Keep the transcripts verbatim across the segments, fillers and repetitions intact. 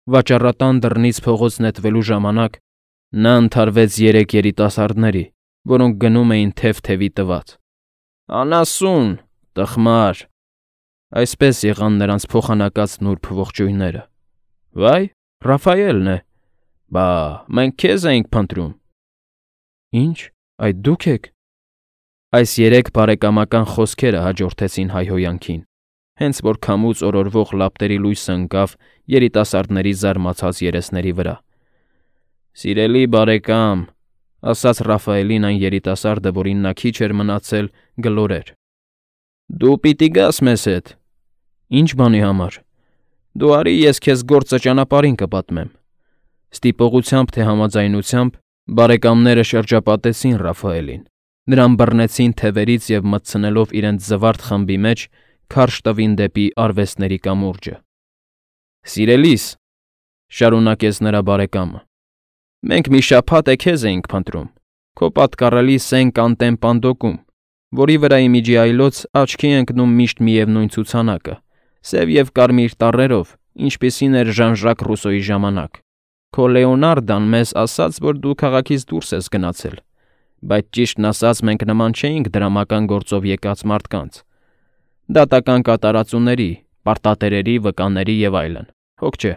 Վաճառատան դռնից փողոց նետվելու ժամանակ նա ընդհարվեց երեք երիտասարդների, որոնք գնում էին թև֊թևի տված։ «Անասուն, տխմար», այսպես եղան նրանց փոխանակած նուրբ ողջույնները։ «Վայ, Ռաֆայելն է։ Բա, մենք քեզ էինք փնտրում»։ «Ինչ, այդ դու՞ք եք»։ Այս երեք բարեկամական խոսքերը հաջորդեցին հայհոյանքին, հենց որ քամուց օրորվող լապտերի լույսը ընկավ երիտասարդների զարմացած երեսների վրա։ «Սիրելի բարեկամ», ասաց Ռաֆայելին այն երիտասարդը, որին նա քիչ էր մնացել, գլորեր, «դու պիտի գաս մեզ հետ»։ «Ինչ բանի համար»։ «Դու արի ես քեզ գործը ճանապարհին կպատմեմ»։ Ստիպողությամբ թե համաձայնությամբ բարեկամները շրջապատեցին Ռաֆայելին, նրան բռնեցին թևերից և մտցնելով իրենց զվարթ խմբի մեջ, քարշ տվին դեպի արվեստների կամուրջը։ «Սիրելիս», շարունակեց նրա բարեկամը, «մենք մի շաբաթ է քեզ էինք փնտրում, քո պատկառելի սեն կանտեն պանդոկում, որի վրա ի միջի այլոց աչքի է ընկնում միշտ միևնույն ցուցանակը՝ սև և կարմիր տառերով, ինչպիսին էր Ժան֊Ժակ Ռուսոյի ժամանակ։ Քո Լեոնարդան մեզ ասաց, որ դու քաղաքից դուրս ես գնացել, բայց ճիշտն ասած մենք նման չէինք դրամական գործով եկած մարդկանց, դատական կատարածուների, պարտատերերի, վկաների և այլն, հոգ չէ։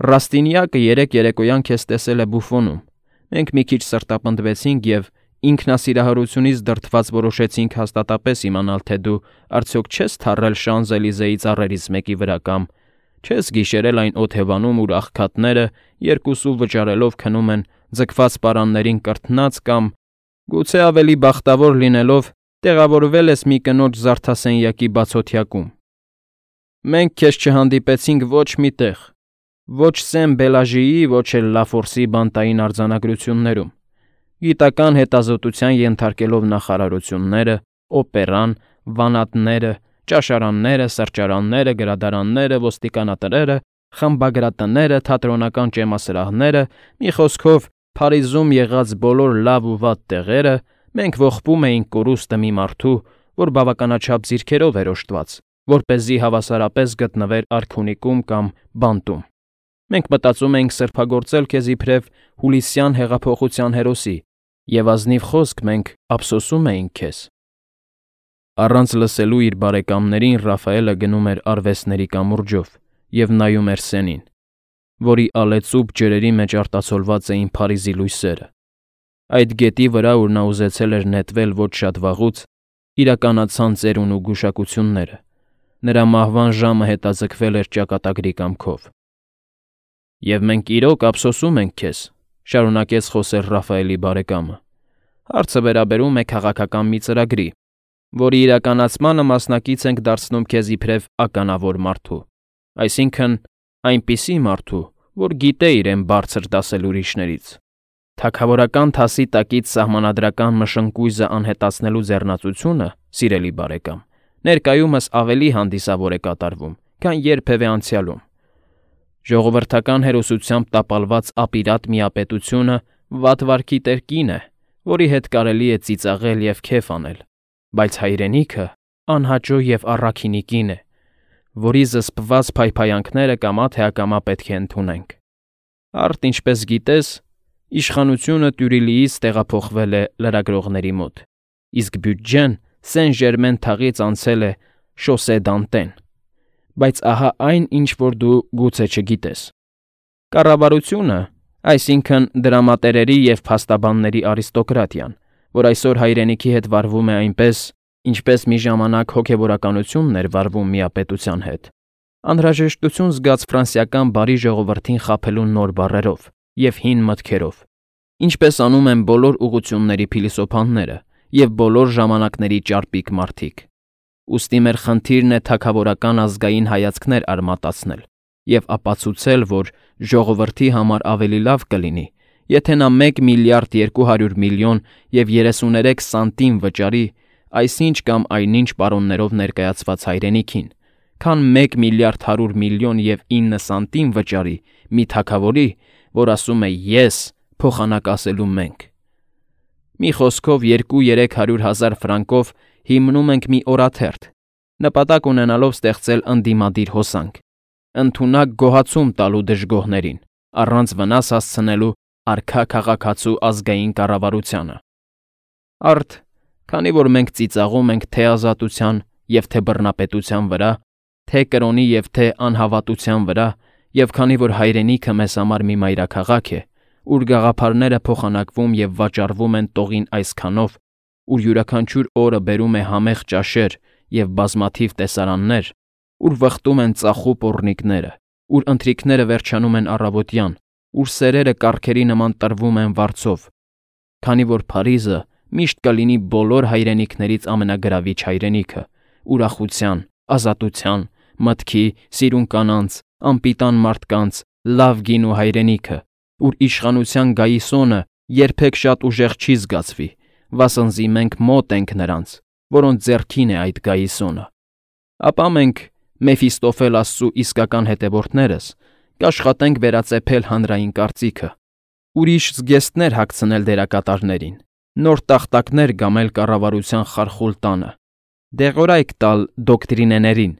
Ռաստինյակը երեկ երեկոյան քեզ տեսել է բուֆոնում, մենք մի քիչ սրտապնդվեցինք և ինքնասիրահարությունից դրդված որոշեցինք հաստատապես իմանալ, թե դու արդյոք չես թառել Շանզելիզեի ծառերից մեկի վրա կամ չես գիշերել այն օթևանում, ուր աղքատները երկուսու վճարելով քնում են ձգված պարաններին կրթնած կամ, գուցե ավելի բախտավոր լինելով, տեղավորվել ես մի կնոջ զարդասենյակի բացօթյակում։ Մենք քեզ չհանդիպեցինք ոչ մի տեղ, ոչ Սեն֊Բելաժիի, ոչ էլ Լաֆորսի բանտային արձանագրություններում, գիտական հետազոտության ենթարկելով նախարարությունները, օպերան, վանատները, ճաշարանները, սրճարանները, գրադարանները, ոստիկանատները, խմբագրատները, թատրոնական ճեմասրահները, մի խոսքով, Փարիզում եղած բոլոր լավ ու վատ տեղերը, մենք ողբում էինք կորուստը մի մարդու, որ բավականաչափ ձիրքերով էր օժտված, որպեսզի հավասարապես գտնվեր արքունիքում կամ բանտում։ Մենք մտածում էինք սրբագործել քեզ իբրև հուլիսյան հեղափոխության հերոսի, և ազնիվ խոսք մենք ափսոսում էինք քեզ։ Առանց լսելու իր բարեկամներին Ռաֆայելը գնում էր արվեստների կամուրջով և նայում էր սենին, որի ալեծուփ ջրերի մեջ արտացոլված էին Փարիզի լույսերը։ Այդ գետի վրա, ուր նա ուզեցել էր նետվել ոչ շատ վաղուց, իրականացան ծերուն ու գուշակությունները, նրա մահվան ժամը հետաձգվել էր ճակատագրի կամքով։ «Եվ մենք իրոք ափսոսում ենք քեզ», շարունակեց խոսել Ռաֆայելի բարեկամը։ «Հարցը վերաբերում է քաղաքական մի ծրագրի, որի իրականացմանը մասնակից ենք դարձնում քեզ իբրև ականավոր մարդու, այսինքն այնպիսի մարդու, որ գիտե իրեն բարձր դասել ուրիշներից։ Թագավորական թասի տակից սահմանադրական մշնկույզը անհետացնելու ձեռնացությունը, սիրելի բարեկամ, ներկայումս ավելի հանդիսավոր է կատարվում, քան երբևէ անցյալում։ Ժողովրդական հերոսությամբ տապալված ապիրատ միապետությունը վատ վարքի տերկին է, որի հետ կարելի է ծիծաղել և քեֆ անել, բայց հայրենիքը անհաճո և առաքինիկին է, որի զսպված փայփայանքները կամա թե ակամա պետք է ընդունենք։ Արդ, ինչպես գիտես, իշխանությունը Տյուրիլիից տեղափոխվել է լրագրողների մոտ, իսկ բյուջեն Սեն֊Ժերմեն թաղից անցել է Շոսե Դանտեն։ Բայց ահա այն, ինչ որ դու գուցե չգիտես. կառավարությունը, այսինքն դրամատերերի և փաստաբանների արիստոկրատիան, որ այսօր հայրենիքի հետ վարվում է այնպես, ինչպես մի ժամանակ հոգևորականությունն էր վարվում միապետության հետ, անհրաժեշտություն զգաց ֆրանսիական բարի ժողովրդին խաբելու նոր բառերով և հին մտքերով, ինչպես անում են բոլոր ուղղությունների փիլիսոփաները և բոլոր ժամանակների ճարպիկ մարդիկ։ Ուստի մեր խնդիրն է թագավորական ազգային հայացքներ արմատացնել և ապացուցել, որ ժողովրդի համար ավելի լավ կլինի, եթե նա մեկ միլիարդ երկու հարյուր միլիոն և երեսուներեք սանտիմ վճարի այսինչ կամ այնինչ պարոններով ներկայացված հայրենիքին, քան մեկ միլիարդ հարյուր միլիոն և ինը սանտիմ վճարի մի թագավորի, որ ասում է «ես» փոխանակ ասելու «մենք»։ Մի խոսքով երկու֊երեք հարյուր հազար ֆրանկով հիմնում ենք մի օրաթերթ, նպատակ ունենալով ստեղծել ընդդիմադիր հոսանք, ընդունակ գոհացում տալու դժգոհներին, առանց վնաս հասցնելու արքա քաղաքացու ազգային կառավարությանը։ Արդ, քանի որ մենք ծիծաղում ենք թե ազատության և թե բռնապետության վրա, թե կրոնի և թե անհավատության վրա, և քանի որ հայրենիքը մեզ համար մի մայրաքաղաք է, ուր գաղափարները փոխանակվում և վաճառվում են տողին այսքանով, ուր յուրաքանչյուր օրը բերում է համեղ ճաշեր և բազմաթիվ տեսարաններ, ուր վխտում են ծախու պոռնիկները, ուր ընթրիքները վերջանում են առավոտյան, ուր սերերը կառքերի նման տրվում են վարձով, քանի որ Փարիզը միշտ կլինի բոլոր հայրենիքներից ամենագրավիչ հայրենիքը, ուրախության, ազատության, մտքի, սիրուն կանանց, անպիտան մարդկանց, լավ գինու հայրենիքը, ուր իշխանության գայիսոնը երբեք շատ ուժեղ չի զգացվի, վասնզի մենք մոտ ենք նրանց, որոնց ձեռքին է այդ գայիսոնը, ապա մենք, Մեֆիստոֆել աստծու իսկական հետևորդներս, կաշխատենք վերածեփել հանրային կարծիքը, ուրիշ զգեստներ հագցնել դերակատարներին, նոր տախտակներ գամել կառավարության խարխուլ տանը, դեղորայք տալ դոկտրինեներին,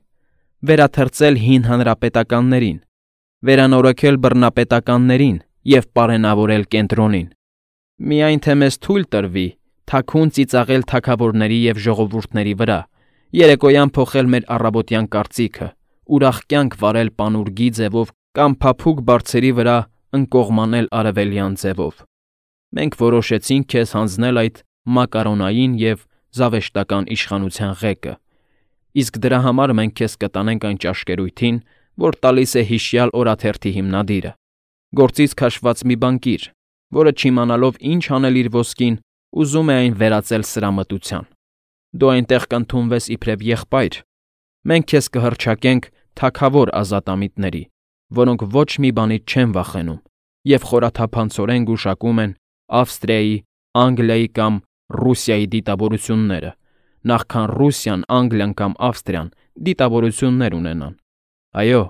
վերաթրծել հին հանրապետականներին, վերանորոգել բռնապետականներին և պարենավորել կենտրոնին, միայն թե մեզ թույլ տրվի թաքուն ծիծաղել թագավորների և ժողովուրդների վրա, երեկոյան փոխել մեր առավոտյան կարծիքը, ուրախ կյանք վարել պանուրգի ձևով կամ փափուկ բարձերի վրա ընկողմանել արևելյան ձևով։ Մենք որոշեցինք քեզ հանձնել այդ մակարոնային և զավեշտական իշխանության ղեկը, իսկ դրա համար մենք քեզ կտանենք այն ճաշկերույթին, որ տալիս է հիշյալ օրաթերթի հիմնադիրը, գործից քաշված մի բանկիր, որը չիմանալով ինչ անել իր ոսկին, ուզում է այն վերածել սրամտության։ Դու այնտեղ կընդունվես իբրև եղբայր, մենք քեզ կհռչակենք թագավոր ազատամիտների, որոնք ոչ մի բանից չեն վախենում և խորաթափանցորեն գուշակում են Ավստրիայի, Անգլիայի կամ Ռուսիայի դիտավորությունները, նախքան Ռուսիան, Անգլիան կամ Ավստրիան դիտավորություններ ունենան։ Այո,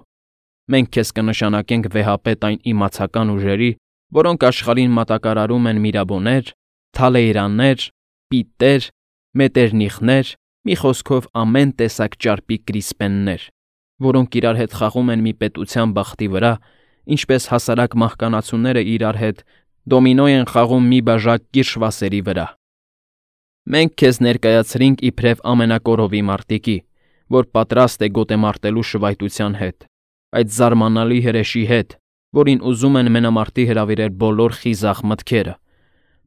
մենք քեզ կնշանակենք վեհապետ այն իմացական ուժերի, որոնք աշխարհին մատակարարում են միրաբոներ, թալեյրաններ, պիտեր, մետերնիխներ, մի խոսքով ամեն տեսակ ճարպիկ գրիսպեններ, որոնք իրար հետ խաղում են մի պետության բախտի վրա, ինչպես հասարակ մահկանացուները իրար հետ դոմինո են խաղում մի բաժակ կիրշվասերի վրա։ Մենք քեզ ներկայացրինք իբրև ամենակորովի մարտիկի, որ պատրաստ է գոտեմարտելու շվայտության հետ, այդ զարմանալի հրեշի հետ, որին ուզում են մենամարտի հրավիրել բոլոր խիզախ մտքերը։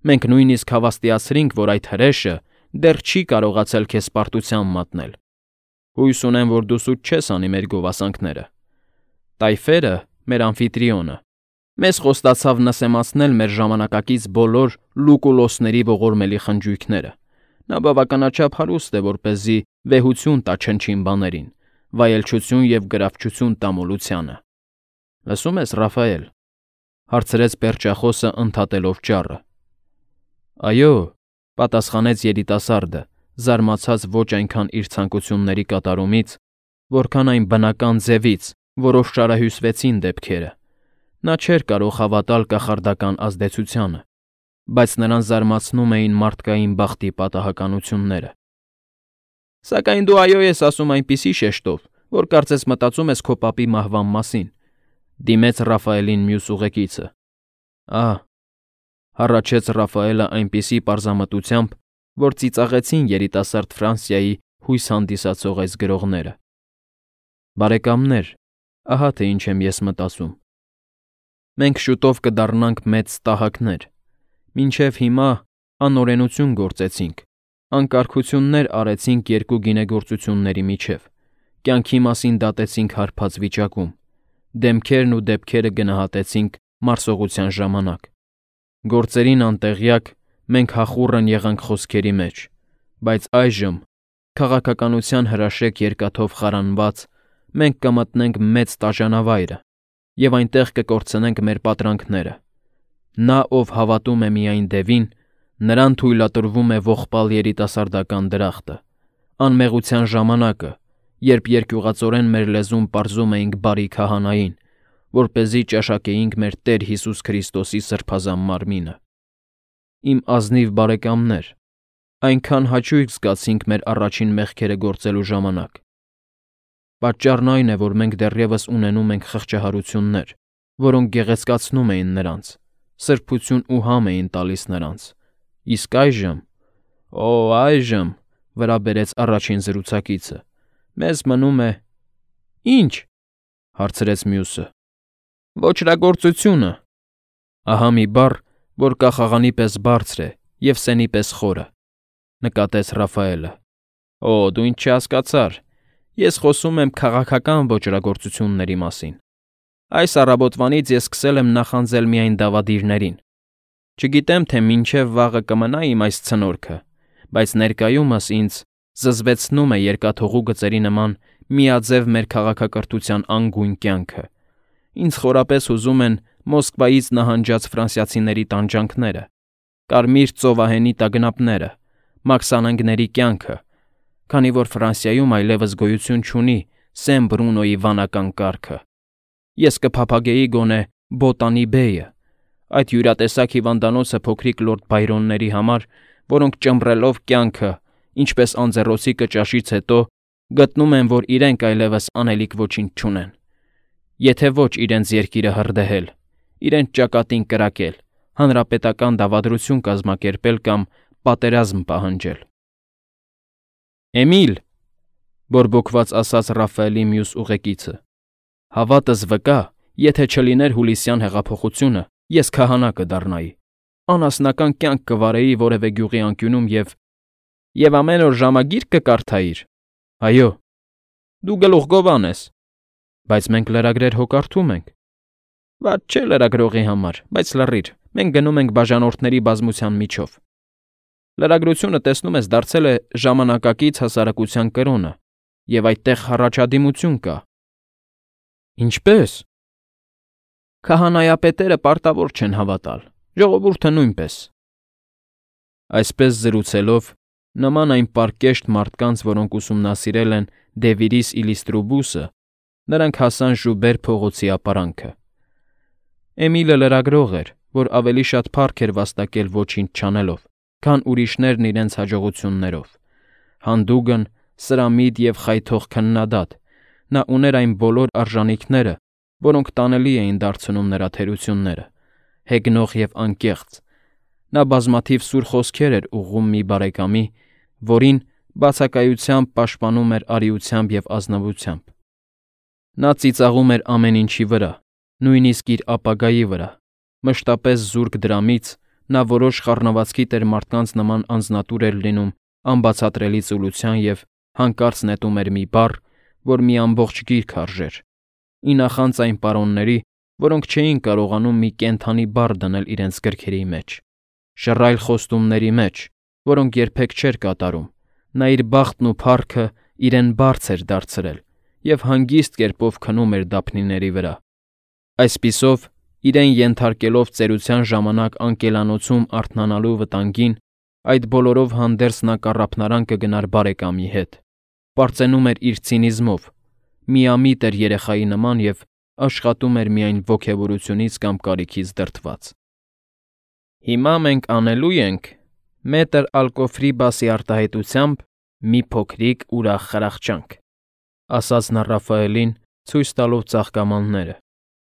Մենք նույնիսկ հավաստիացրինք, որ այդ հրեշը դեռ չի կարողացել քեզ պարտության մատնել։ Հույս ունեմ, որ դու սուտ չես անի մեր գովասանքները։ Տայֆերը, մեր ամֆիտրիոնը, մեզ խոստացավ նսեմացնել մեր ժամանակակից բոլոր լուկուլոսների ողորմելի խնջույքները։ Նա բավականաչափ հարուստ է, որպեսզի վեհություն տա չնչին բաներին, վայելչություն և գրավչություն տա մոլությանը։ Լսում ես, Ռաֆայել,֊ հարցրեց պերճախոսը ընդհատելով ճառը։ Այո,֊ պատասխանեց երիտասարդը, զարմացած ոչ այնքան իր ցանկությունների կատարումից, որքան այն բնական ձևից, որով շարահյուսվեցին դեպքերը։ Նա չէր կարող հավատալ կախարդական ազդեցությանը, բայց նրան զարմացնում էին մարդկային բախտի պատահականությունները։ Սակայն դու այո ես ասում այնպիսի շեշտով, որ կարծես մտածում ես քո պապի մահվան մասին,֊ դիմեց Ռաֆայելին մյուս ուղեկիցը։ Ահ,֊ հառաչեց Ռաֆայելը այնպիսի պարզամտությամբ, որ ծիծաղեցին երիտասարդ Ֆրանսիայի հույս հանդիսացող այս գրողները։ Բարեկամներ, ահա թե ինչ եմ ես մտածում։ Մենք շուտով կդառնանք մեծ տահակներ։ Մինչև հիմա անօրենություն գործեցինք, անկարգություններ արեցինք երկու գինեգործությունների միջև, կյանքի մասին դատեցինք հարբած վիճակում, դեմքերն ու դեպքերը գնահատեցինք մարսողության ժամանակ։ Գործերին անտեղյակ մենք հախուռն եղանք խոսքերի մեջ, բայց այժմ, քաղաքականության հրաշեկ երկաթով խարանված, մենք կմտնենք մեծ տաժանավայրը և այնտեղ կկորցնենք մեր պատրանքները։ Նա, ով հավատում է միայն դևին, նրան թույլատրվում է ողբալ երիտասարդական դրախտը, անմեղության ժամանակը, երբ երկյուղածորեն մեր լեզուն պարզում էինք բարի քահանային, որպեսզի ճաշակեինք մեր Տեր Հիսուս Քրիստոսի սրբազան մարմինը։ Իմ ազնիվ բարեկամներ, այնքան հաճույք զգացինք մեր առաջին մեղքերը գործելու ժամանակ։ Պատճառն այն է, որ մենք դեռևս ունենում ենք խղճահարություններ, որոնք գեղեցկացնում էին նրանց, սրբություն ու համ էին տալիս նրանց։ Իսկ այժմ, օ, այժմ, վրա բերեց առաջին զրուցակիցը, մեզ մնում է… Ի՞նչ, հարցրեց մյուսը։ Ոճրագործությունը։ Ահա մի բառ, որ կախաղանի պես բարձր է և սենի պես խորը, նկատեց Ռաֆայելը։ Օ, դու ինչ չհասկացար, ես խոսում եմ քաղաքական ոճրագործությունների մասին։ Այս առավոտվանից ես սկսել եմ նախանձել միայն դավադիրներին։ Չգիտեմ, թե մինչև վաղը կմնա իմ այս ցնորքը, բայց ներկայումս ինձ զզվեցնում է երկաթուղու գծերի նման միաձև մեր քաղաքակրթության անգույն կյանքը։ Ինձ խորապես հուզում են Մոսկվայից նահանջած ֆրանսիացիների տանջանքները, կարմիր ծովահենի տագնապները, մաքսանենգների կյանքը, քանի որ Ֆրանսիայում այլևս գոյություն չունի Սեն Բրունոյի վանական կարգը։ Ես կփափագեի գոնե Բոտանի Բեյը, այդ յուրատեսակ հիվանդանոցը փոքրիկ լորդ Բայրոնների համար, որոնք ճմռելով կյանքը, ինչպես անձեռոցիկը ճաշից հետո, գտնում են, որ իրենք այլևս անելիք ոչինչ չունեն։ Եթե ոչ իրենց երկիրը հրդեհել, իրենց ճակատին կրակել, հանրապետական դավադրություն կազմակերպել կամ պատերազմ պահանջել։ Էմիլ, բորբոքված ասաց Ռաֆայելի մյուս ուղեկիցը, հավատս վկա, եթե չլիներ հուլիսյան հեղափոխությունը, ես քահանա կդառնայի, անասնական կյանք կվարեի որևէ գյուղի անկյունում և… Եվ ամեն օր ժամագիր կկարդայիր։ Այո։ Դու գլուխգովան ես։ Բայց մենք լրագրեր հո կարդում ենք։ Վատ չէ լրագրողի համար, բայց լռիր, մենք գնում ենք բաժանորդների բազմության միջով։ Լրագրությունը, տեսնում ես, դարձել է ժամանակակից հասարակության կրոնը, և այդտեղ առաջադիմություն կա։ Ինչպե՞ս։ Քահանայապետերը պարտավոր չեն հավատալ, ժողովուրդը նույնպես։ Այսպես զրուցելով, նման այն պարկեշտ մարդկանց, որոնք ուսումնասիրել են Դևիրիս Իլիստրուբուսը, նրանք հասան Ժուբեր փողոցի ապարանքը։ Էմիլը լրագրող էր, որ ավելի շատ փառք էր վաստակել ոչինչ չանելով, քան ուրիշներն իրենց հաջողություններով։ Հանդուգն, սրամիտ և խայթող քննադատ, նա ուներ այն բոլոր արժանինքները, որոնք տանելի էին դարձնում նրա թերությունները, հեգնող և անկեղծ։ Նա բազմաթիվ սուր խոսքեր էր ուղղում մի բարեկամի, որին բացակայությամբ պաշտպանում էր արիությամբ և ազնվությամբ։ Նա ծիծաղում էր ամեն ինչի վրա, նույնիսկ իր ապագայի վրա, մշտապես զուրկ դրամից, նա որոշ խառնվածքի տեր մարդկանց նման անձնատուր էր լինում անբացատրելի ծուլության և հանկարծ նետում էր մի բառ, որ մի ամբողջ գիրք արժեր, ի նախանձ այն պարոնների, որոնք չէին կարողանում մի կենդանի բառ դնել իրենց գրքերի մեջ, շռայլ խոստումների մեջ, որոնք երբեք չէր կատարում, նա իր բախտն ու փառքը իրեն բարձ էր դարձրել և հանգիստ կերպով քնում էր դափնիների վրա։ Այսպիսով, իրեն ենթարկելով ծերության ժամանակ անկելանոցում արթնանալու վտանգին, այդ բոլորով հանդերձ նա կառափնարան կգնար բարեկամի հետ, պարծենում էր իր ցինիզմով, միամիտ էր երեխայի նման և աշխատում էր միայն ոգևորությունից կամ կարիքից դրդված։ Հիմա մենք անելու ենք մետր Ալկոֆրիբասի արտահայտությամբ մի փոքրիկ ուրախ խրախճանք, ասաց նա Ռաֆայելին, ցույց տալով ծաղկամանները,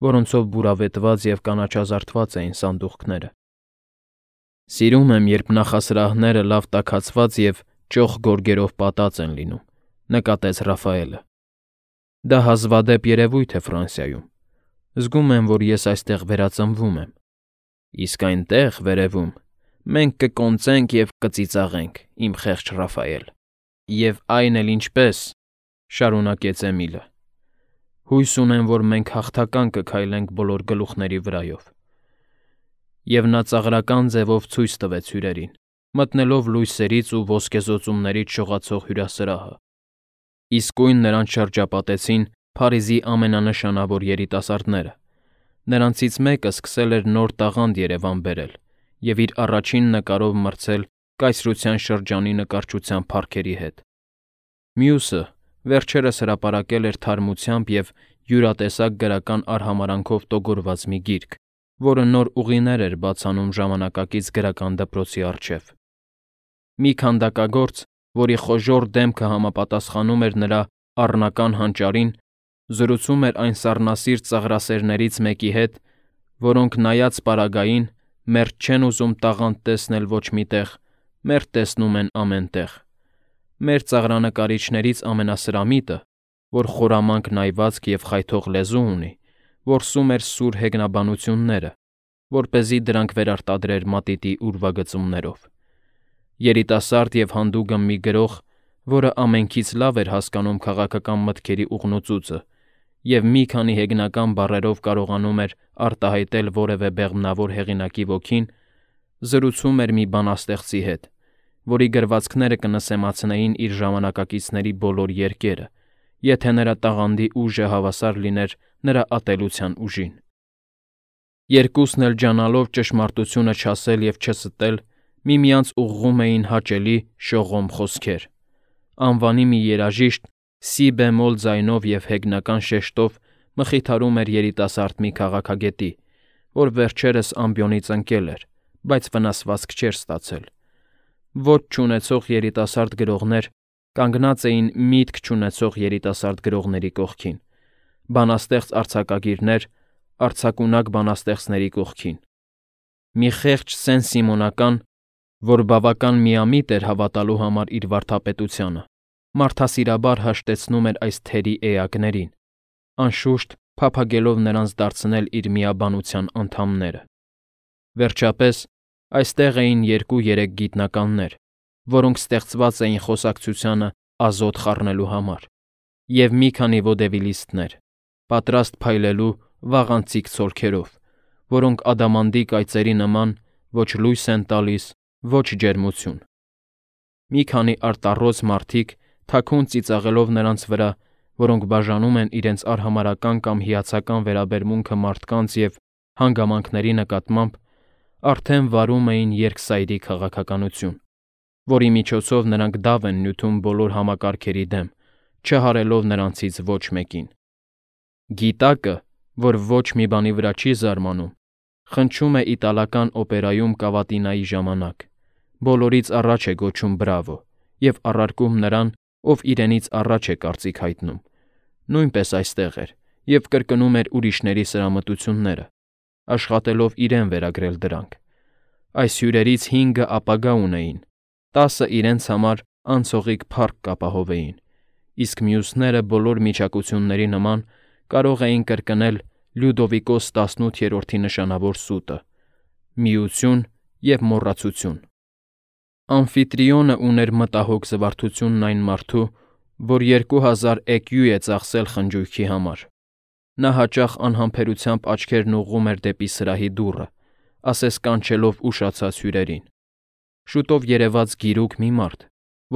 որոնցով բուրավետված և կանաչազարդված էին սանդուղքները։ Սիրում եմ, երբ նախասրահները լավ տաքացված և ճոխ գորգերով պատած են լինում, նկատեց Ռաֆայելը։ Դա հազվադեպ երևույթ է Ֆրանսիայում։ Զգում եմ, որ ես այստեղ վերածնվում եմ։ Իսկ այնտեղ, վերևում, մենք կկոնծենք և կծիծաղենք, իմ խեղճ Ռաֆայել։ Եվ այն էլ ինչպես, շարունակեց Էմիլը։ Հույս ունեմ, որ մենք հաղթական կքայլենք բոլոր գլուխների վրայով։ Եվ նա ծաղրական ձևով ցույց տվեց հյուրերին, մտնելով լույսերից ու ոսկեզօծումներից շողացող հյուրասրահը։ Իսկույն նրանց շրջապատեցին Փարիզի ամենանշանավոր երիտասարդները։ Նրանցից մեկը սկսել էր նոր տաղանդ Երևան բերել և իր առաջին նկարով մրցել կայսրության շրջանի նկարչության փառքերի հետ։ Մյուսը վերջերս հրապարակել էր թարմությամբ և յուրատեսակ գրական արհամարհանքով տոգորված մի գիրք, որը նոր ուղիներ էր բացանում ժամանակակից գրական դպրոցի առջև։ Մի քանդակագործ, որի խոժոռ դեմքը համապատասխանում էր նրա առնական հանճարին, զրուցում էր այն սառնասիրտ ծաղրասերներից մեկի հետ, որոնք նայած պարագային, մերթ չեն ուզում տաղանդ տեսնել ոչ մի տեղ, մերթ տեսնում են ամեն տեղ։ Մեր ծաղրանկարիչներից ամենասրամիտը, որ խորամանկ նայվածք և խայթող լեզու ունի, որսում էր սուր հեգնաբանությունները, որպեսզի դրանք վերարտադրեր մատիտի ուրվագծումներով։ Երիտասարդ և հանդուգն մի գրող, որը ամենքից լավ էր հասկանում քաղաքական մտքերի ուղնուծուծը և մի քանի հեգնական բառերով կարողանում էր արտահայտել որևէ բեղմնավոր հեղինակի ոգին, զրուցում էր մի բանաստեղծի հետ, որի գրվածքները կնսեմացնեին իր ժամանակակիցների բոլոր երգերը, եթե նրա տաղանդի ուժը հավասար լիներ նրա ատելության ուժին։ Երկուսն էլ ջանալով ճշմարտությունը չասել և չստել, միմյանց ուղղում էին հաճելի, շողոմ խոսքեր։ Անվանի մի երաժիշտ սի բեմոլ ձայնով և հեգնական շեշտով մխիթարում էր երիտասարդ մի քաղաքագետի, որ վերջերս ամբիոնից ընկել էր, բայց վնասվածք չէր ստացել։ Ոճ չունեցող երիտասարդ գրողներ կանգնած էին միտք չունեցող երիտասարդ գրողների կողքին, բանաստեղծ արձակագիրներ արձակունակ բանաստեղծների կողքին։ Մի խեղճ Սեն-Սիմոնական, որ բավական միամիտ էր հավատալու համար իր վարդապետությանը, մարդասիրաբար հաշտեցնում էր այս թերի էակներին, անշուշտ փափագելով նրանց դարձնել իր միաբանության անդամները։ Վերջապես, այստեղ էին երկու-երեք գիտնականներ, որոնք ստեղծված էին խոսակցությանը ազոտ խառնելու համար, և մի քանի ոդևիլիստներ, պատրաստ փայլելու վաղանցիկ ցոլքերով, որոնք ադամանդի կայծերի նման ոչ լույս են տալիս, ոչ ջերմություն։ Մի քանի արտառոց մարդիկ, թաքուն ծիծաղելով նրանց վրա, որոնք բաժանում են իրենց արհամարհական կամ հիացական վերաբերմունքը մարդկանց և հանգամանքների նկատմամբ, արդեն վարում էին երկսայրի քաղաքականություն, որի միջոցով նրանք դավ են նյութում բոլոր համակարգերի դեմ, չհարելով նրանցից ոչ մեկին։ Գիտակը, որ ոչ մի բանի վրա չի զարմանում, խնչում է իտալական օպերայում կավատինայի ժամանակ, բոլորից առաջ է գոչում բրավո և առարկում նրան, ով իրենից առաջ է կարծիք հայտնում, նույնպես այստեղ էր և կրկնում էր ուրիշների սրամտությունները, աշխատելով իրեն վերագրել դրանք։ Այս հյուրերից հինգը ապագա ունեին, տասը իրենց համար անցողիկ փառք կապահովեին, իսկ մյուսները բոլոր միջակությունների նման կարող էին կրկնել Լյուդովիկոս տասնութերորդի նշանավոր սուտը՝ միություն և մոռացություն։ Ամֆիտրիոնը ուներ մտահոգ զվարթությունն այն մարդու, որ երկու հազար էկյու է ծախսել խնջույքի համար։ Նա հաճախ անհամբերությամբ աչքերն ուղղում էր դեպի սրահի դուռը, ասես կանչելով ուշացած հյուրերին։ Շուտով երևաց գիրուկ մի մարդ,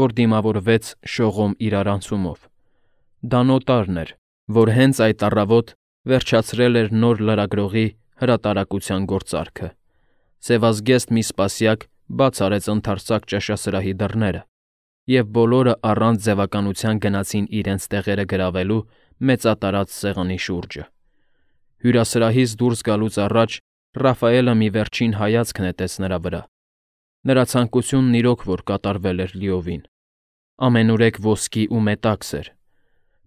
որ դիմավորվեց շողոմ իրարանցումով։ Դա նոտարն էր, որ հենց այդ առավոտ վերջացրել էր նոր լրագրողի հրատարակության գործարքը։ Սևազգեստ մի սպասյակ բաց արեց ընդարձակ ճաշասրահի դռները, և բոլորը առանց ձևականության գնացին իրենց տեղերը գրավելու մեծատարած սեղանի շուրջը։ Հյուրասրահից դուրս գալուց առաջ Ռաֆայելը մի վերջին հայացք նետեց նրա վրա։ Նրա ցանկությունն իրոք որ կատարվել էր լիովին։ Ամենուրեք ոսկի ու մետաքս էր։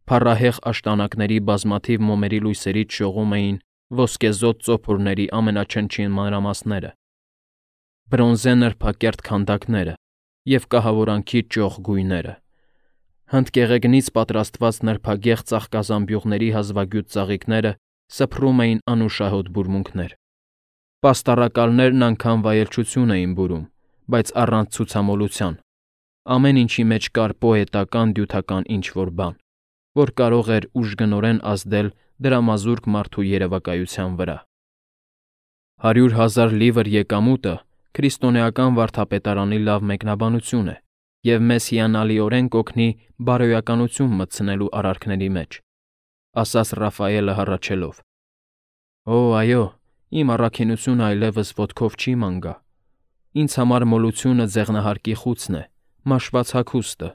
Փառահեղ աշտանակների բազմաթիվ մոմերի լույսերից շողում էին ոսկեզօծ ծոփորների ամենաչնչին մանրամասները, բրոնզե նրբակերտ քանդակները և կահավորանքի ճոխ գույները։ Հնդկեղեգնից պատրաստված նրբագեղ ծաղկազամբյուղների հազվագյուտ ծաղիկները սփռում էին անուշահոտ բուրմունքներ։ Պաստառակալներն անգամ վայելչություն էին բուրում, բայց առանց ցուցամոլության, ամեն ինչի մեջ կար պոետական֊դյութական ինչ-որ բան, որ կարող էր ուժգնորեն ազդել դրամազուրկ մարդու երևակայության վրա։ Հարյուր հազար լիվր եկամուտը քրիստոնեական վարդապետարանի լավ մեկնաբանություն է և մեզ հիանալիորեն կօգնի բարոյականություն մտցնելու արարքների մեջ, ասաց Ռաֆայելը հառաչելով։ Օ, այո, իմ առաքինությունը այլևս ոտքով չի ման գա։ Ինձ համար մոլությունը ձեղնահարկի խուցն է, մաշված հագուստը,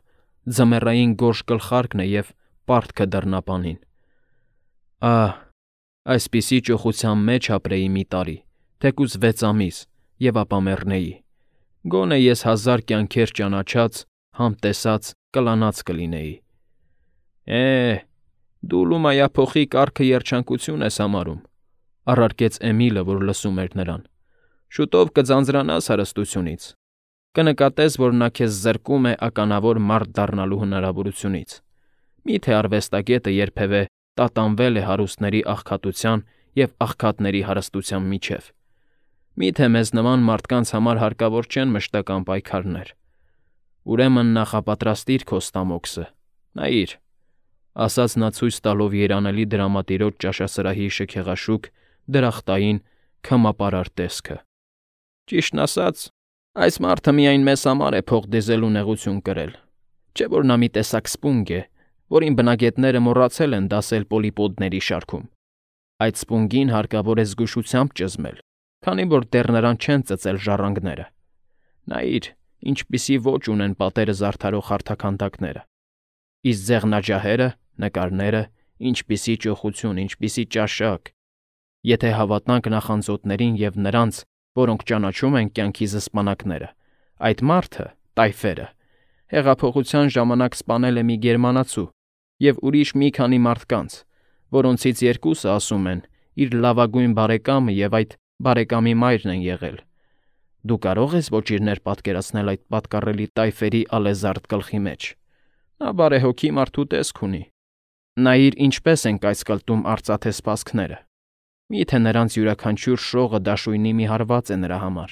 ձմեռային գորշ գլխարկն է և պարտքը դռնապանին։ Ահ, այսպիսի ճոխության մեջ ապրեի մի տարի, թեկուզ վեց ամիս, և ապա մեռնեի։ Գոնե ես հազար կյանքեր ճանաչած, համտեսած, կլանած կլինեի։ Է, դու լումայափոխի կառքը երջանկություն ես համարում, առարկեց Էմիլը, որ լսում էր նրան։ Շուտով կձանձրանաս հարստությունից, կնկատես, որ նա քեզ զրկում է ականավոր մարդ դառնալու հնարավորությունից։ Մի՞թե արվեստագետը երբևէ տատանվել է հարուստների աղքատության և աղքատների հարստության միջև։ Մի՞թե մեզ նման մարդկանց համար հարկավոր չեն մշտական պայքարներ։ Ուրեմն նախապատրաստիր քո ստամոքսը, նայիր, ասաց նա ցույց տալով երանելի դրամատիրոջ ճաշասրահի շքեղաշուք, դրախտային, քմապարար տեսքը։ Ճիշտն ասած, այս մարդը միայն մեզ համար է փող դիզելու նեղություն կրել, չէ՞ որ նա մի տեսակ սպունգ է, որին բնագետները մոռացել են դասել պոլիպոդների շարքում։ Այդ սպունգին հարկավոր է զգուշությամբ ճզմել, քանի որ դեռ նրան չեն ծծել ժառանգները։ Նայիր, ինչպիսի ոճ ունեն պատերը զարդարող հարթաքանդակները, իսկ ձեղնաջահերը, նկարները, ինչպիսի ճոխություն, ինչպիսի ճաշակ։ Եթե հավատանք նախանձոտներին և նրանց, որոնք ճանաչում են կյանքի զսպանակները, այդ մարդը, տայֆերը, հեղափոխության ժամանակ սպանել է մի գերմանացու և ուրիշ մի քանի մարդկանց, որոնցից երկուսը, ասում են, իր լավագույն բարեկամը և այդ բարեկամի մայրն են եղել։ Դու կարո՞ղ ես ոճիրներ պատկերացնել այդ պատկառելի տայֆերի ալեզարդ գլխի մեջ։ Նա բարեհոգի մարդու տեսք ունի։ Նայիր, ինչպես են կայծկլտում արծաթե սպասքները։ Մի՞թե նրանց յուրաքանչյուր շողը դաշույնի մի հարված է նրա համար։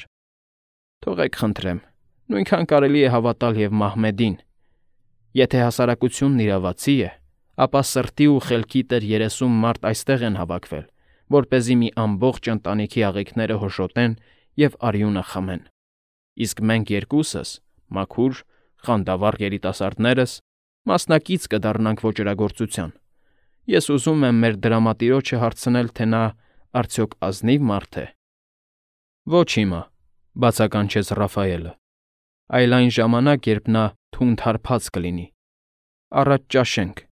Թողեք խնդրեմ, նույնքան կարելի է հավատալ և Մահմեդին։ Եթե հասարակությունն իրավացի է, ապա սրտի ու խելքի տեր երեսուն մարդ այստեղ են հավաքվել, որպեսզի մի ամբողջ ընտանիքի աղիքները հոշոտեն և արյունը խմեն։ Իսկ մենք երկուսս, մաքուր, խանդավառ երիտասարդներս, մասնակից կդառնանք ոճրագործության։ Ես ուզում եմ մեր դրամատիրոջը հարցնել, թե նա արդյոք ազնի՞վ մարդ է։ Ոչ հիմա, բացականչեց Ռաֆայելը, այլ այն ժամանակ, երբ նա թունդ հարբած կլինի։ Առաջ ճաշենք։